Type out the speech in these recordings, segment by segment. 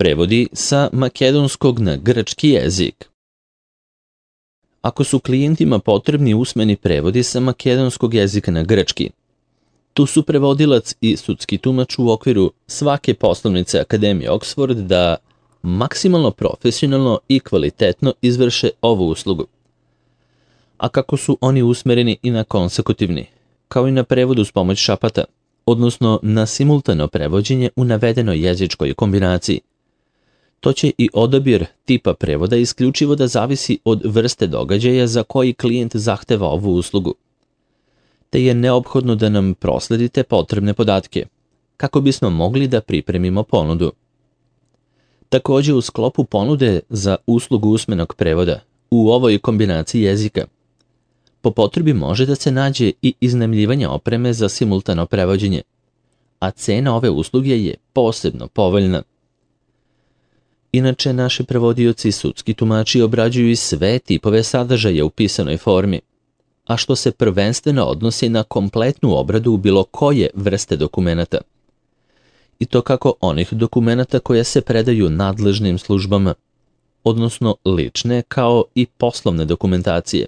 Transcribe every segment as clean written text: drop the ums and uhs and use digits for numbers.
Prevodi sa makedonskog na grčki jezik. Ako su klijentima potrebni usmeni prevodi sa makedonskog jezika na grčki, tu su prevodilac i sudski tumač u okviru svake poslovnice Akademije Oxford da maksimalno profesionalno i kvalitetno izvrše ovu uslugu. A kako su oni usmereni i na konsekutivni, kao i na prevodu s pomoć šapata, odnosno na simultano prevođenje u navedenoj jezičkoj kombinaciji, to će i odabir tipa prevoda isključivo da zavisi od vrste događaja za koji klijent zahteva ovu uslugu, te je neophodno da nam prosledite potrebne podatke, kako bismo mogli da pripremimo ponudu. Također u sklopu ponude za uslugu usmenog prevoda u ovoj kombinaciji jezika, po potrebi može da se nađe i iznajmljivanje opreme za simultano prevođenje, a cena ove usluge je posebno povoljna. Inače, naši prevodioci i sudski tumači obrađuju i sve tipove sadržaja u pisanoj formi, a što se prvenstveno odnosi na kompletnu obradu bilo koje vrste dokumenata. I to kako onih dokumenata koje se predaju nadležnim službama, odnosno lične kao i poslovne dokumentacije,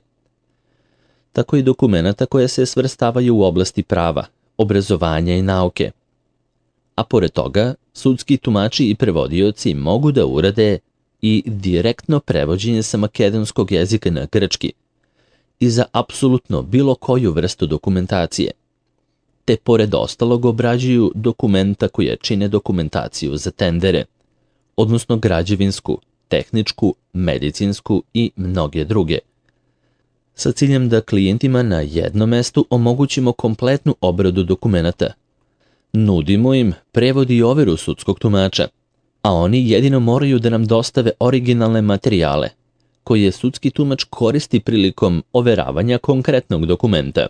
tako i dokumenata koje se svrstavaju u oblasti prava, obrazovanja i nauke. A pored toga, sudski tumači i prevodioci mogu da urade i direktno prevođenje sa makedonskog jezika na grčki i za apsolutno bilo koju vrstu dokumentacije, te pored ostalog obrađuju dokumenta koje čine dokumentaciju za tendere, odnosno građevinsku, tehničku, medicinsku i mnoge druge, sa ciljem da klijentima na jednom mestu omogućimo kompletnu obradu dokumenata. Nudimo im prevod i overu sudskog tumača, a oni jedino moraju da nam dostave originalne materijale, koje sudski tumač koristi prilikom overavanja konkretnog dokumenta.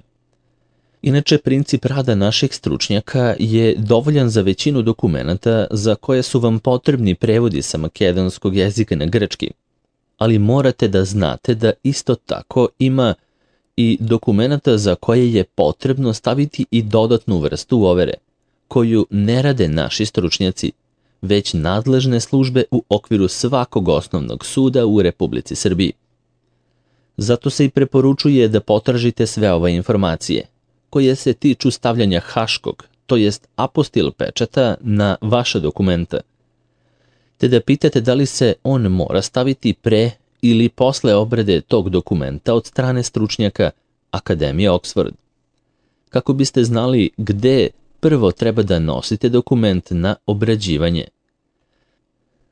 Inače, princip rada naših stručnjaka je dovoljan za većinu dokumenata za koje su vam potrebni prevodi sa makedonskog jezika na grčki, ali morate da znate da isto tako ima i dokumenata za koje je potrebno staviti i dodatnu vrstu overe, koju ne rade naši stručnjaci, već nadležne službe u okviru svakog osnovnog suda u Republici Srbiji. Zato se i preporučuje da potražite sve ove informacije, koje se tiču stavljanja haškog, to jest apostil pečata na vaša dokumenta, te da pitate da li se on mora staviti pre ili posle obrade tog dokumenta od strane stručnjaka Akademije Oxford, kako biste znali gde prvo treba da nosite dokument na obrađivanje.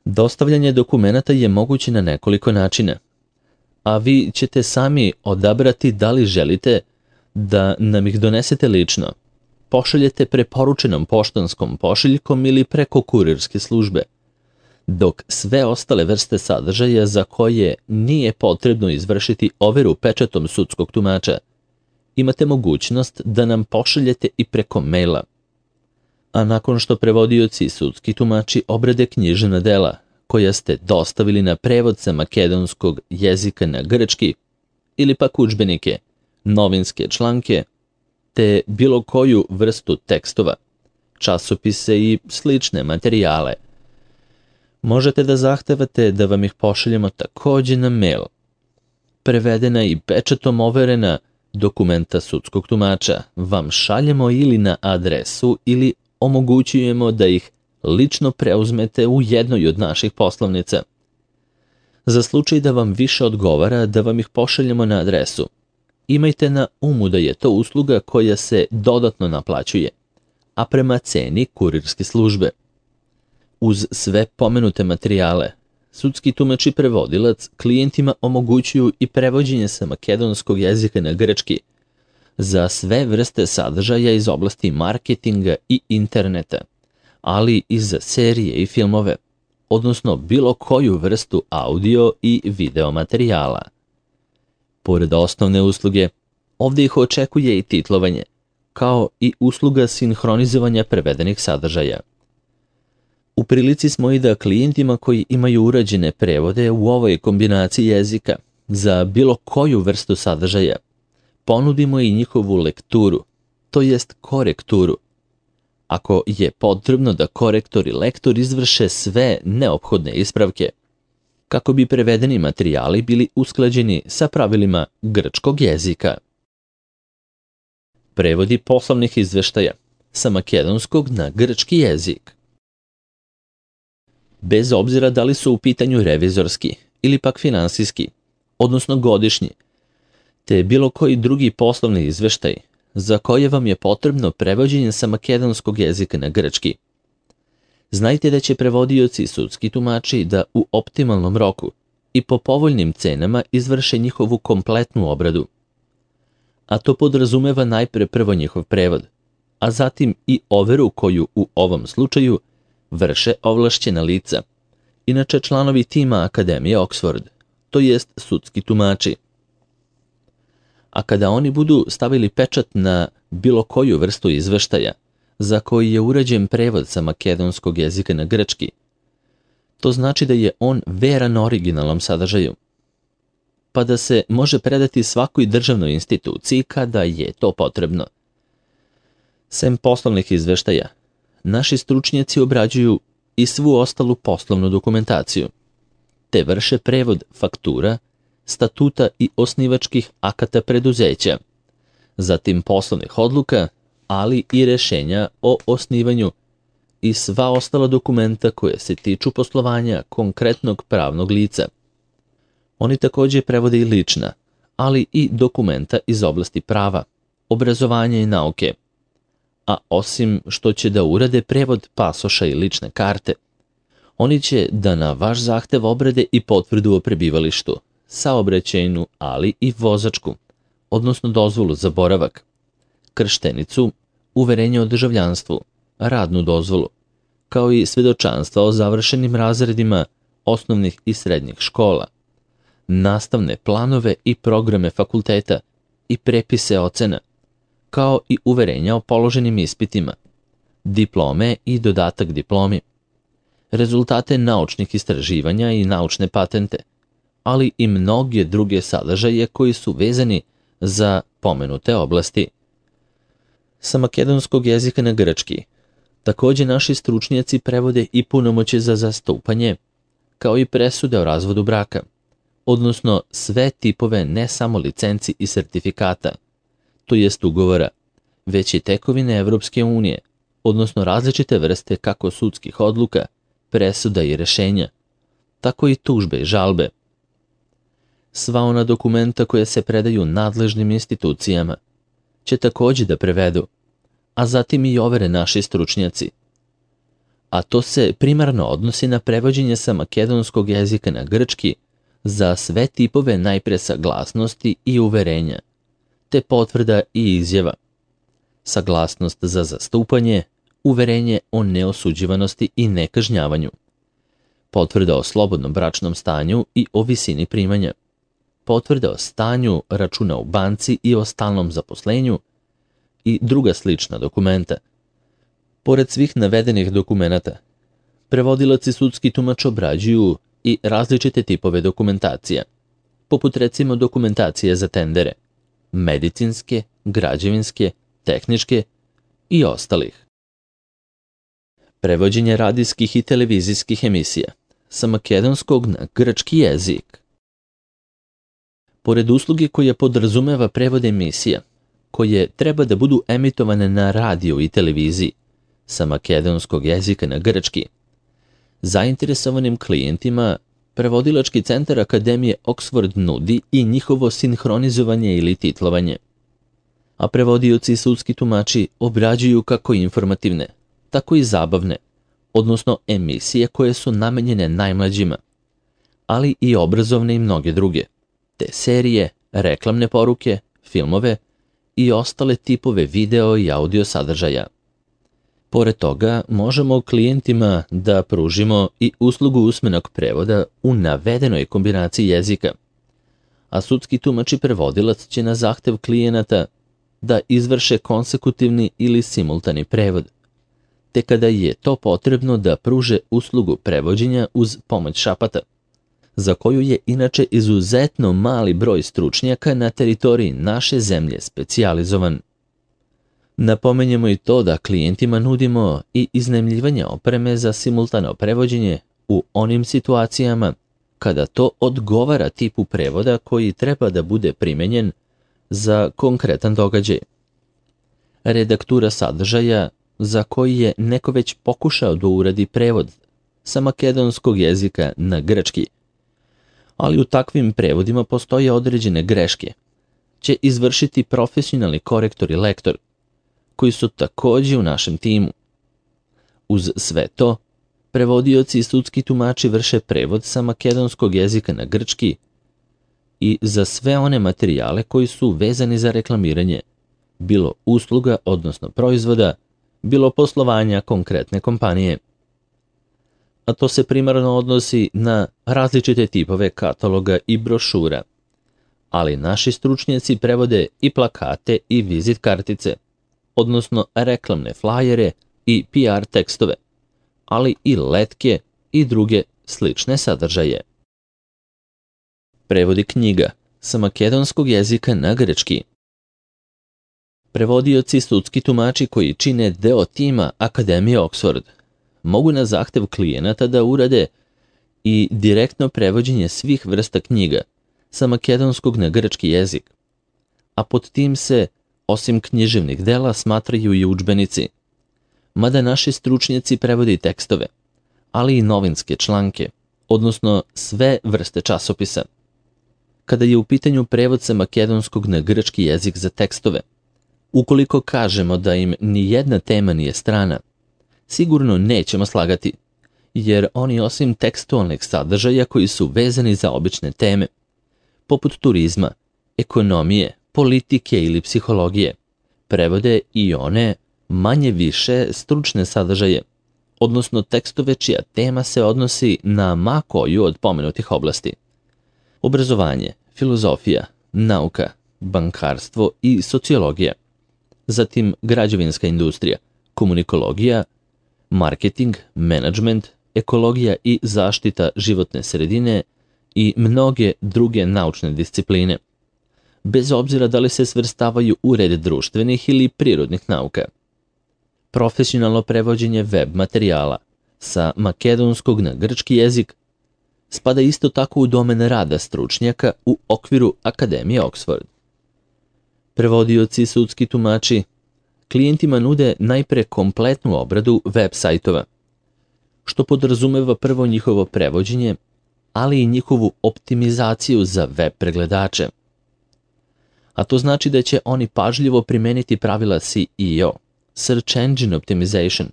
Dostavljanje dokumenata je moguće na nekoliko načina, a vi ćete sami odabrati da li želite da nam ih donesete lično, pošaljete preporučenom poštanskom pošiljkom ili preko kurirske službe, dok sve ostale vrste sadržaja za koje nije potrebno izvršiti overu pečatom sudskog tumača, imate mogućnost da nam pošaljete i preko maila. A nakon što prevodioci i sudski tumači obrade književna dela koja ste dostavili na prevod sa makedonskog jezika na grčki ili pak udžbenike, novinske članke, te bilo koju vrstu tekstova, časopise i slične materijale, možete da zahtevate da vam ih pošaljemo također na mail. Prevedena i pečatom overena dokumenta sudskog tumača vam šaljemo ili na adresu ili omogućujemo da ih lično preuzmete u jednoj od naših poslovnica. Za slučaj da vam više odgovara da vam ih pošaljemo na adresu, imajte na umu da je to usluga koja se dodatno naplaćuje, a prema ceni kurirske službe. Uz sve pomenute materijale, sudski tumač i prevodilac klijentima omogućuju i prevođenje sa makedonskog jezika na grčki za sve vrste sadržaja iz oblasti marketinga i interneta, ali i za serije i filmove, odnosno bilo koju vrstu audio i video materijala. Pored osnovne usluge, ovdje ih očekuje i titlovanje, kao i usluga sinhronizovanja prevedenih sadržaja. U prilici smo i da klijentima koji imaju urađene prevode u ovoj kombinaciji jezika za bilo koju vrstu sadržaja ponudimo i njihovu lekturu, to jest korekturu, ako je potrebno da korektor i lektor izvrše sve neophodne ispravke, kako bi prevedeni materijali bili usklađeni sa pravilima grčkog jezika. Prevodi poslovnih izveštaja sa makedonskog na grčki jezik. Bez obzira da li su u pitanju revizorski ili pak finansijski, odnosno godišnji, te bilo koji drugi poslovni izveštaj za koje vam je potrebno prevođenje sa makedonskog jezika na grčki. Znajte da će prevodioci i sudski tumači da u optimalnom roku i po povoljnim cenama izvrše njihovu kompletnu obradu. A to podrazumeva najpre prvo njihov prevod, a zatim i overu koju u ovom slučaju vrše ovlašćena lica, inače članovi tima Akademije Oxford, to jest sudski tumači. A kada oni budu stavili pečat na bilo koju vrstu izveštaja za koji je urađen prevod sa makedonskog jezika na grčki, to znači da je on veran originalnom sadržaju, pa da se može predati svakoj državnoj instituciji kada je to potrebno. Sem poslovnih izveštaja, naši stručnjaci obrađuju i svu ostalu poslovnu dokumentaciju, te vrše prevod faktura, statuta i osnivačkih akata preduzeća, zatim poslovnih odluka, ali i rešenja o osnivanju i sva ostala dokumenta koje se tiču poslovanja konkretnog pravnog lica. Oni također prevode i lična, ali i dokumenta iz oblasti prava, obrazovanja i nauke. A osim što će da urade prevod pasoša i lične karte, oni će da na vaš zahtev obrade i potvrdu o prebivalištu, saobraćajnu, ali i vozačku, odnosno dozvolu za boravak, krštenicu, uverenje o državljanstvu, radnu dozvolu, kao i svedočanstva o završenim razredima osnovnih i srednjih škola, nastavne planove i programe fakulteta i prepise ocena, kao i uverenja o položenim ispitima, diplome i dodatak diplomi, rezultate naučnih istraživanja i naučne patente, ali i mnoge druge sadržaje koji su vezani za pomenute oblasti. Sa makedonskog jezika na grčki također naši stručnjaci prevode i punomoćje za zastupanje, kao i presude o razvodu braka, odnosno sve tipove ne samo licenci i sertifikata, to jest ugovora, već i tekovine Evropske unije, odnosno različite vrste kako sudskih odluka, presuda i rešenja, tako i tužbe i žalbe. Sva ona dokumenta koje se predaju nadležnim institucijama će također da prevedu, a zatim i overe naši stručnjaci. A to se primarno odnosi na prevođenje sa makedonskog jezika na grčki za sve tipove najpre saglasnosti i uverenja, te potvrda i izjava, saglasnost za zastupanje, uverenje o neosuđivanosti i nekažnjavanju, potvrda o slobodnom bračnom stanju i o visini primanja, potvrda o stanju računa u banci i o stalnom zaposlenju i druga slična dokumenta. Pored svih navedenih dokumenata, prevodilac i sudski tumač obrađuju i različite tipove dokumentacija, poput recimo dokumentacije za tendere, medicinske, građevinske, tehničke i ostalih. Prevođenje radijskih i televizijskih emisija sa makedonskog na grčki jezik. Pored usluge koja podrazumeva prevod emisija, koje treba da budu emitovane na radiju i televiziji sa makedonskog jezika na grčki, zainteresovanim klijentima prevodilački centar Akademije Oxford nudi i njihovo sinhronizovanje ili titlovanje. A prevodioci i sudski tumači obrađuju kako informativne, tako i zabavne, odnosno emisije koje su namenjene najmlađima, ali i obrazovne i mnoge druge, te serije, reklamne poruke, filmove i ostale tipove video i audio sadržaja. Pored toga, možemo klijentima da pružimo i uslugu usmenog prevoda u navedenoj kombinaciji jezika, a sudski tumač i prevodilac će na zahtev klijenata da izvrše konsekutivni ili simultani prevod, te kada je to potrebno da pruže uslugu prevođenja uz pomoć šapata, za koju je inače izuzetno mali broj stručnjaka na teritoriji naše zemlje specijalizovan. Napomenjemo i to da klijentima nudimo i iznajmljivanje opreme za simultano prevođenje u onim situacijama kada to odgovara tipu prevoda koji treba da bude primenjen za konkretan događaj. Redaktura sadržaja za koji je neko već pokušao da uradi prevod sa makedonskog jezika na grčki, ali u takvim prevodima postoje određene greške, će izvršiti profesionalni korektor i lektor, koji su također u našem timu. Uz sve to, prevodioci i sudski tumači vrše prevod sa makedonskog jezika na grčki i za sve one materijale koji su vezani za reklamiranje, bilo usluga, odnosno proizvoda, bilo poslovanja konkretne kompanije. A to se primarno odnosi na različite tipove kataloga i brošura, ali naši stručnjaci prevode i plakate i vizit kartice, odnosno reklamne flajere i PR tekstove, ali i letke i druge slične sadržaje. Prevodi knjiga sa makedonskog jezika na grčki. Prevodioci i sudski tumači koji čine deo tima Akademije Oxford mogu na zahtev klijenata da urade i direktno prevođenje svih vrsta knjiga sa makedonskog na grčki jezik, a pod tim se, osim književnih dela, smatraju i udžbenici, mada naši stručnjaci prevode i tekstove, ali i novinske članke, odnosno sve vrste časopisa. Kada je u pitanju prevod sa makedonskog na grčki jezik za tekstove, ukoliko kažemo da im ni jedna tema nije strana, sigurno nećemo slagati, jer oni osim tekstualnih sadržaja koji su vezani za obične teme, poput turizma, ekonomije, politike ili psihologije, prevode i one manje više stručne sadržaje, odnosno tekstove čija tema se odnosi na ma koju od pomenutih oblasti. Obrazovanje, filozofija, nauka, bankarstvo i sociologija, zatim građevinska industrija, komunikologija, marketing, menadžment, ekologija i zaštita životne sredine i mnoge druge naučne discipline, bez obzira da li se svrstavaju u red društvenih ili prirodnih nauka. Profesionalno prevođenje web materijala sa makedonskog na grčki jezik spada isto tako u domen rada stručnjaka u okviru Akademije Oxford. Prevodioci i sudski tumači klijentima nude najpre kompletnu obradu web sajtova, što podrazumeva prvo njihovo prevođenje, ali i njihovu optimizaciju za web pregledače. A to znači da će oni pažljivo primeniti pravila SEO, Search Engine Optimization,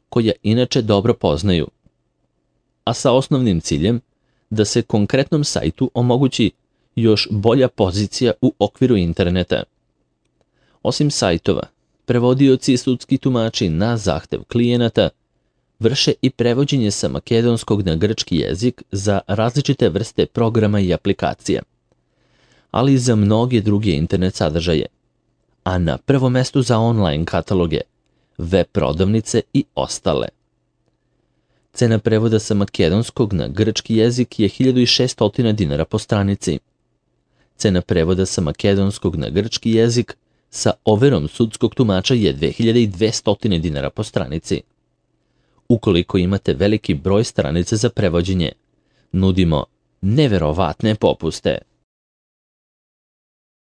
koja inače dobro poznaju, a sa osnovnim ciljem da se konkretnom sajtu omogući još bolja pozicija u okviru interneta. Osim sajtova, prevodioci i sudski tumači na zahtev klijenata vrše i prevođenje sa makedonskog na grčki jezik za različite vrste programa i aplikacija, ali i za mnoge druge internet sadržaje, a na prvom mestu za online kataloge, web prodavnice i ostale. Cena prevoda sa makedonskog na grčki jezik je 1600 dinara po stranici. Cena prevoda sa makedonskog na grčki jezik sa overom sudskog tumača je 2200 dinara po stranici. Ukoliko imate veliki broj stranica za prevođenje, nudimo neverovatne popuste.